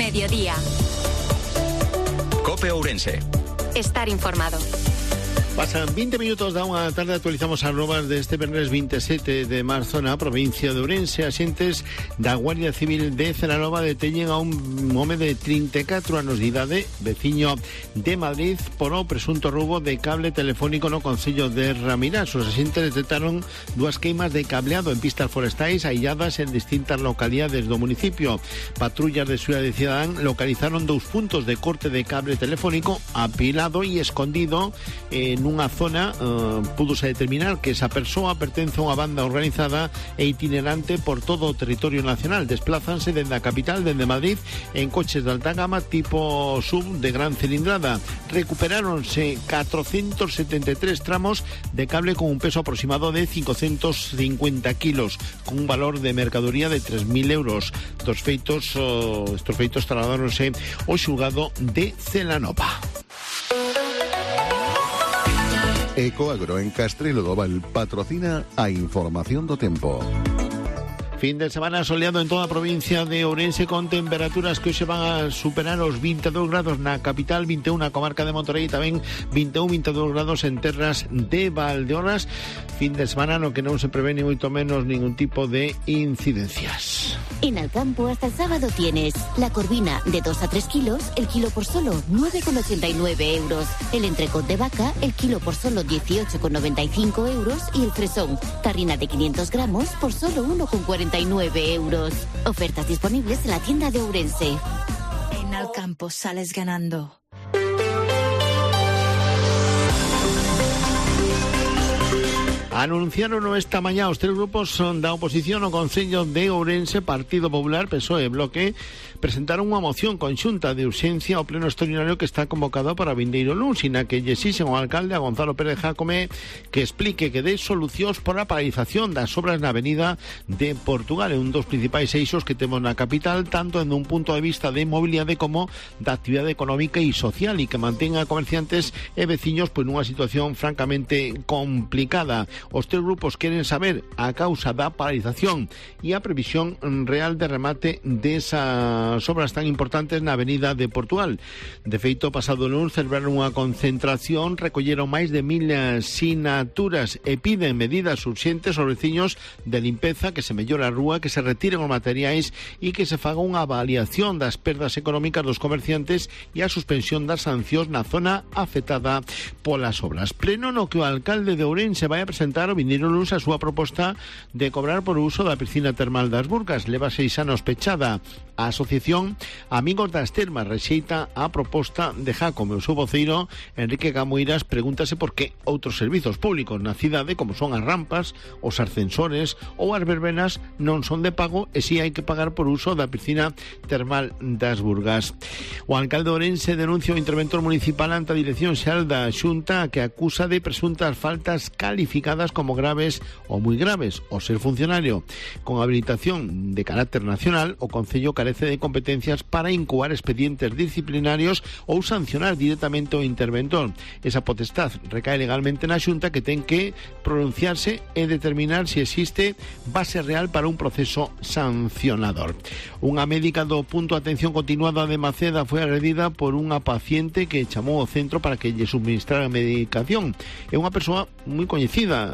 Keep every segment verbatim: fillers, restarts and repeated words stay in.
mediodía. COPE Ourense. Estar informado. Pasan veinte minutos da unha tarde, actualizamos as novas deste venres veintisiete de marzo na provincia de Ourense. Axentes da Guardia Civil de Celanova deteñen a un home de trinta e catro anos de idade, veciño de Madrid, por o presunto roubo de cable telefónico no concello de Ramirás. Os axentes detectaron dúas queimas de cableado en pistas forestais ailladas en distintas localidades do municipio. Patrullas de Seguridade Cidadán localizaron dous puntos de corte de cable telefónico apilado e escondido en unha zona. Uh, púdose determinar que esa persoa pertence a unha banda organizada e itinerante por todo o territorio nacional. Desplázanse dende a capital, dende Madrid, en coches de alta gama tipo sub de gran cilindrada. Recuperáronse cuatrocientos setenta e tres tramos de cable con un peso aproximado de quinientos cincuenta kilos, con un valor de mercadoría de tres mil euros. Dos feitos, uh, estos feitos trasladáronse ao xulgado de Celanova. Ecoagro en Castrelo do Val patrocina a información do tempo. Fin de semana soleado en toda a provincia de Ourense, con temperaturas que hoxe van a superar os veintidós grados na capital, vinte e un na comarca de Monterrey, tamén vinte e un, veintidós grados en terras de Valdeorras. Fin de semana no que non se prevé ni moito menos ningún tipo de incidencias. En Alcampo hasta el sábado tienes la corvina de dos a tres kilos, el kilo por solo nueve con ochenta y nueve euros. El entrecot de vaca, el kilo por solo dieciocho con noventa y cinco euros. Y el fresón, tarrina de quinientos gramos por solo uno con cuarenta y nueve euros. Ofertas disponibles en la tienda de Ourense. En Alcampo sales ganando. Anunciaron esta mañá os tres grupos da oposición ao Concello de Ourense, Partido Popular, P S O E e Bloque, presentaron unha moción conxunta de urxencia ao pleno extraordinario que está convocado para vindeiro luns, na que lle exixen ao alcalde, a Gonzalo Pérez Jácome, que explique que dé solucións por a paralización das obras na avenida de Portugal, un dos principais eixos que temos na capital, tanto en un punto de vista de mobilidade como da actividade económica e social, e que mantenga a comerciantes e veciños pois nunha situación francamente complicada. Os tres grupos queren saber a causa da paralización e a previsión real de remate desas obras tan importantes na avenida de Portugal. De feito, pasado lunes celebraron unha concentración, recolleron máis de mil sinaturas e piden medidas urxentes aos veciños de limpeza, que se mellore a rúa, que se retiren os materiais e que se faga unha avaliación das perdas económicas dos comerciantes e a suspensión das sancións na zona afectada polas obras. Pleno no que o alcalde de Ourense vai a presentar o vindeiro luns a súa proposta de cobrar por o uso da piscina termal das Burgas. Leva seis anos pechada. A asociación Amigos das Termas rexeita a proposta de Jácome. O seu voceiro, Enrique Camoiras, pregúntase por que outros servizos públicos na cidade, como son as rampas, os ascensores ou as verbenas, non son de pago e si hai que pagar por uso da piscina termal das Burgas. O alcalde de Ourense denuncia o interventor municipal ante a Dirección Xeral da Xunta, que acusa de presuntas faltas calificadas como graves ou moi graves. O ser funcionario con habilitación de carácter nacional, o Concello carece de competencias para incoar expedientes disciplinarios ou sancionar directamente o interventor. Esa potestad recae legalmente na Xunta, que ten que pronunciarse e determinar se existe base real para un proceso sancionador. Unha médica do punto de atención continuada de Maceda foi agredida por unha paciente que chamou ao centro para que lle suministrara medicación. É unha persoa moi coñecida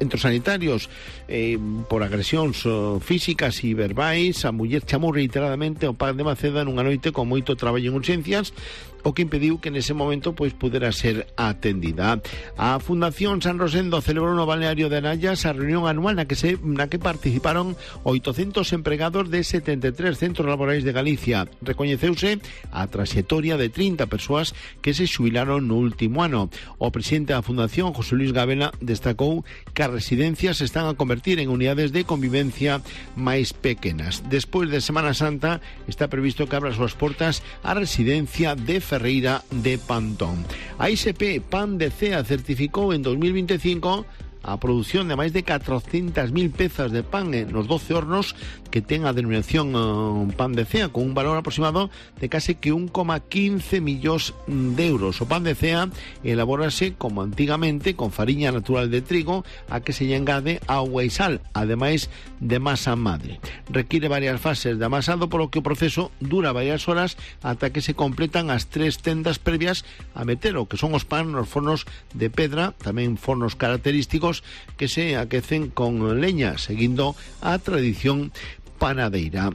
entre os sanitarios eh, por agresións oh, físicas e verbais. A muller chamou reiteradamente ao P A C de Maceda nunha noite con moito traballo en urxencias, o que impediu que nese momento pois pudera ser atendida. A Fundación San Rosendo celebrou no balneario de Anayas a reunión anual na que se na que participaron oitocentos empregados de setenta e tres centros laborais de Galicia. Recoñeceuse a traxectoria de trinta persoas que se xubilaron no último ano. O presidente da Fundación, José Luis Gabela, destacou que as residencias se están a convertir en unidades de convivencia máis pequenas. Despois de Semana Santa está previsto que abra as súas portas a residencia de Ferreira de Pantón. A I S P Pan de Cea certificou en dos mil veinticinco a produción de máis de catrocentas mil pezas de pan nos doce hornos que ten a denominación uh, pan de cea, con un valor aproximado de case que un coma quince millóns de euros. O pan de cea elabórase como antigamente con fariña natural de trigo a que se lle engade agua e sal, ademais de masa madre. Requiere varias fases de amasado, polo que o proceso dura varias horas ata que se completan as tres tendas previas a meter o que son os pan nos fornos de pedra, tamén fornos característicos que se aquecen con leña, seguindo a tradición panadeira.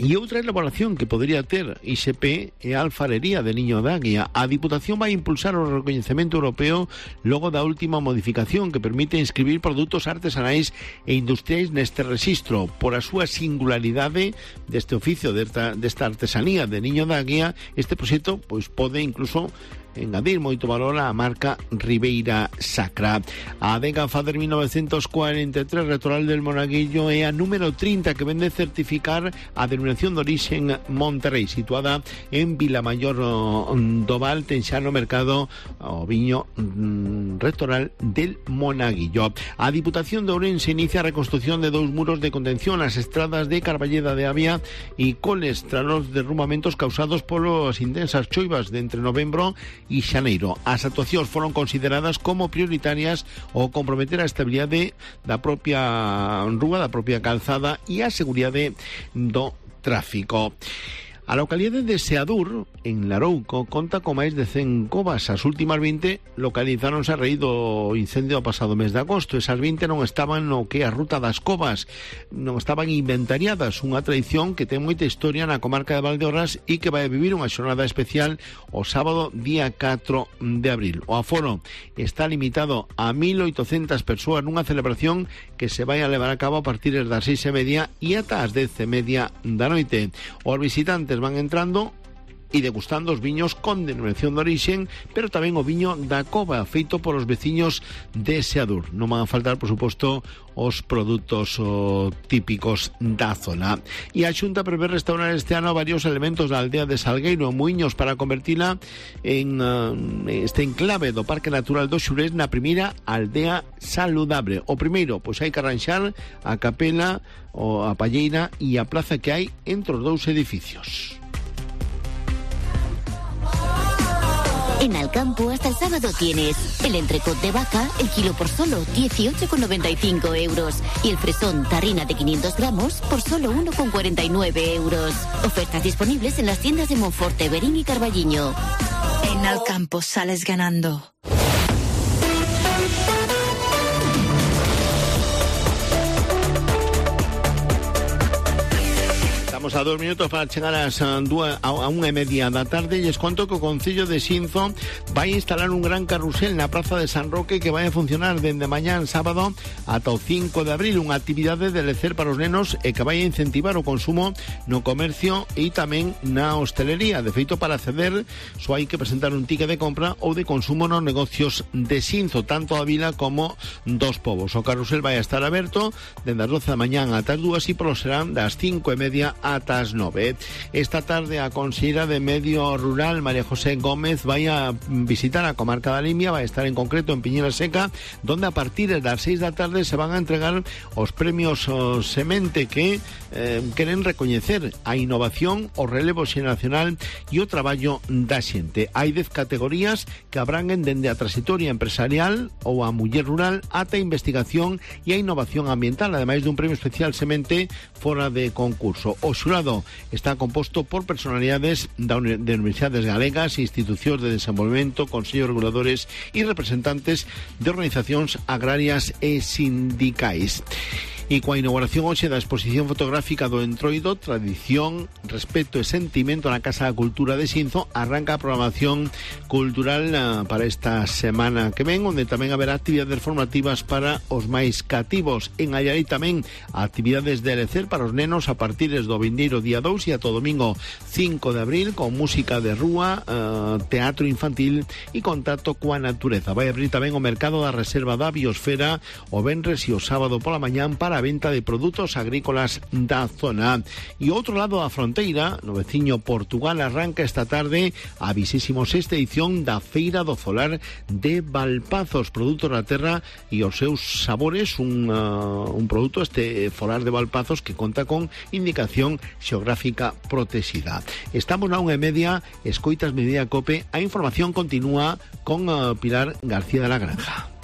E outra elaboración que podría ter I S P é a alfarería de Niño de Águia. A Diputación vai impulsar o recoñecemento europeo logo da última modificación que permite inscribir produtos artesanais e industriais neste rexistro. Por a súa singularidade deste oficio, desta, desta artesanía de Niño de Águia, este proxecto pois pode incluso engadir moito valor á marca Ribeira Sacra. A adega Fader mil novecientos cuarenta e tres Retoral del Monaguillo é a número trinta que vende certificar a denominación de orixen Monterrey, situada en Vilamayor do Val, ten xa no mercado o viño mm, Retoral del Monaguillo. A Diputación de Ourense inicia a reconstrucción de dous muros de contención ás estradas de Carballeda de Avia e Coles tras os derrumbamentos causados polas intensas choivas de entre novembro e xaneiro. As actuacións foron consideradas como prioritarias ao comprometer a estabilidade da propia rúa, da propia calzada e a seguridade do tráfico. A localidade de Seadur, en Larouco, conta con máis de cen covas. As últimas vinte localizáronse a raíz do incendio do pasado mes de agosto. Esas vinte non estaban no que é a ruta das covas, non estaban inventariadas, unha tradición que ten moita historia na comarca de Valdeorras e que vai a vivir unha xornada especial o sábado día catro de abril. O aforo está limitado a mil oitocentas persoas nunha celebración que se vai a levar a cabo a partir das seis e media e ata as dez e media da noite. Os visitantes van entrando e degustando os viños con denominación de orixen, pero tamén o viño da cova feito polos veciños de Seadur. Non van a faltar, por suposto, os produtos o, típicos da zona. E a Xunta prevé restaurar este ano varios elementos da aldea de Salgueiro en Muiños para convertila en uh, este enclave do Parque Natural do Xurés na primeira aldea saludable. O primeiro, pois hai que arranxar a capela, o a palleira e a plaza que hai entre os dous edificios. En Alcampo hasta el sábado tienes el entrecot de vaca, el kilo por solo dieciocho con noventa y cinco euros y el fresón tarrina de quinientos gramos por solo uno con cuarenta y nueve euros. Ofertas disponibles en las tiendas de Monforte, Berín y Carballiño. En Alcampo sales ganando. Estamos a dos minutos para chegar ás dúas, a, a unha e media da tarde e es conto que o Concello de Xinzo vai instalar un gran carrusel na Praza de San Roque que vai a funcionar dende mañán sábado ata o cinco de abril, unha actividade de lecer para os nenos e que vai a incentivar o consumo no comercio e tamén na hostelería. De feito, para acceder só hai que presentar un ticket de compra ou de consumo nos negocios de Xinzo, tanto a vila como dos povos. O carrusel vai a estar aberto dende as doce da mañán ata as dúas e polo serán das cinco e media ata as nove. Esta tarde a conselleira de Medio Rural, María José Gómez, vai a visitar a comarca da Limia, vai a estar en concreto en Piñera Seca, donde a partir das seis da tarde se van a entregar os premios o Semente que eh, queren recoñecer a innovación, o relevo xeracional e o traballo da xente. Hai dez categorías que abranguen dende a trayectoria empresarial ou a muller rural ata a investigación e a innovación ambiental, ademais dun premio especial Semente fora de concurso. O xurado está composto por personalidades de universidades galegas, institucións de desenvolvemento, consellos reguladores e representantes de organizacións agrarias e sindicais. E coa inauguración hoxe da exposición fotográfica do Entroido, Tradición, Respeto e Sentimento na Casa da Cultura de Xinzo, arranca a programación cultural uh, para esta semana que ven, onde tamén haberá actividades formativas para os máis cativos. En Allariz tamén actividades de lecer para os nenos a partir do vindeiro día dous e ata o domingo cinco de abril, con música de rúa, uh, teatro infantil e contacto coa natureza. Vai abrir tamén o mercado da reserva da biosfera o venres e o sábado pola mañán para para a venta de produtos agrícolas da zona. E outro lado da fronteira, no veciño Portugal, arranca esta tarde a vigésima sexta edición da Feira do Folar de Valpazos, produtos da terra e os seus sabores, un, uh, un produto, este folar de Valpazos, que conta con indicación xeográfica protexida. Estamos na unha e media, escoitas Media Cope, a información continúa con uh, Pilar García de la Granja.